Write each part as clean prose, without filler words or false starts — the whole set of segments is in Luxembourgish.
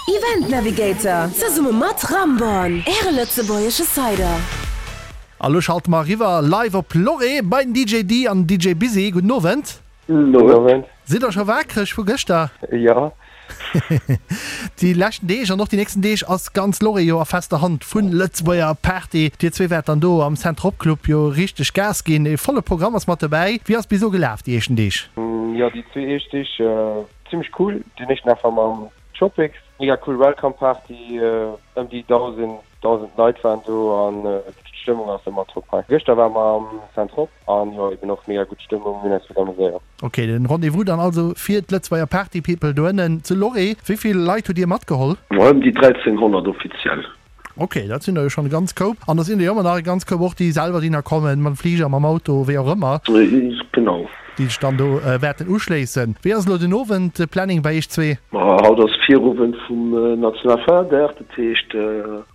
Event Navigator zesumme mat Ramborn, Äre lëtzebuergesche Cider. A lo schalte mer eriwwer live op Loré bei den DJ Dee an den DJ Busy. Gudden Owend. Gudden Owend. Sidd der scho waakreg vu gëschter? Jo. Déi leschten Deeg an och déi nächsten Deeg ass ganz Loré jo a fester Hand vun Lëtzebuerger Party. Dir zwee wäert dann do am Cent-Trop Club jo richteg Gas ginn. E volle Programm ass mat dobäi. Wéi ass bis elo gelaf déi éischten Deeg? Jo, déi zwee éischt Deeg zimmlech cool. Deen éischten Dag war mam Tropics, mega cool Welcome Party, ëm déi 1.000 1.000 Leit waren do an d'Stëmmung ass ëmmer top hei. Gëschter ware mer am Cent-Trop an jo eben och mega gutt Stëmmung, mir hunn eis gutt amuséiert. Ok, den Rendez-vous dann also fir d'Lëtzebuerger Party People doënnen zu Loré. Wéi vill Leit hutt Dir matgeholl? Ëm déi 1300 offiziell. Ok, dat sinn der jo schonn e ganz Koup. An da sinn der jo ëmmer nach e ganz Koup och, déi selwer déi nach kommen, mam Fliger, mam Auto, wéi och ëmmer. Genau. Déi sech dann do wäerten uschléissen. Wéi ass elo den Owend de Planning bei iech zwee? Ma haut ass Virowend vum Nationalfeierdag, dat heescht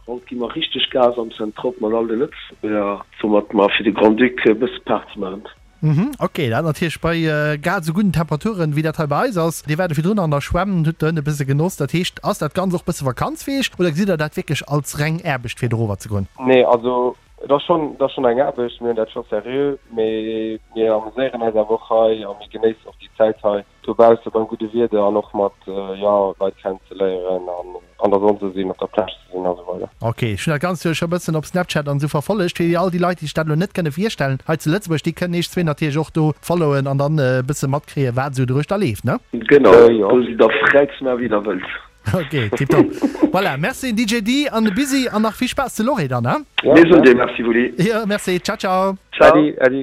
haut gi mer richteg Gas am Centrop mat all de Lëtzebuerger, soumat mer fir de Grand-Duc e bësse Party maachen. Mhm, ok, dat natierlech bei grad esou gudden Temperaturen wéi dat hei bei eis ass. Dir waart jo virdrun an der Schwämm, hutt dohënne e bësse genoss. Dat heescht, ass dat Ganzt och bësse Vakanz fir iech oder gesitt der dat wierklech als reng Aarbecht fir dorower ze goen? Nee, also et ass schonn, et ass schonn eng Aarbecht, mir hunn dat scho seriö, mee mir amuséieren eis awer och hei a mir genéissen och déi Zäit hei. Dobausse beim gudde Wieder an och mat, jo, Leit kennenzeléieren an an der Sonn ze sinn, op der Plage ze sinn a sou weider. Ok, ech hunn dat Ganzt jo scho bëssen op Snapchat an esou verfollegt. Fir all déi Leit, déi sech dat elo net kënne virstellen hei zu Lëtzebuerg, déi kënnen iech zwee natierlech och do followen an dann e bësse matkréien, wat esou doruechter leeft, ne? Genau, do sidd der fräi ze maachen, wéi der wëllt. Ok, tiptop. Voilà, merci DJ Dee an de Busy an nach vill Spaass zu Loré dann, he? Mir soen dir Merci, Wulli. Jo, merci. Ciao, ciao. Ciao. Adi, adi.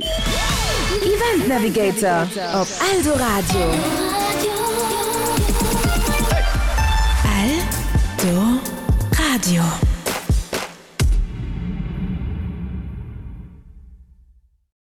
Event Navigator op Eldoradio.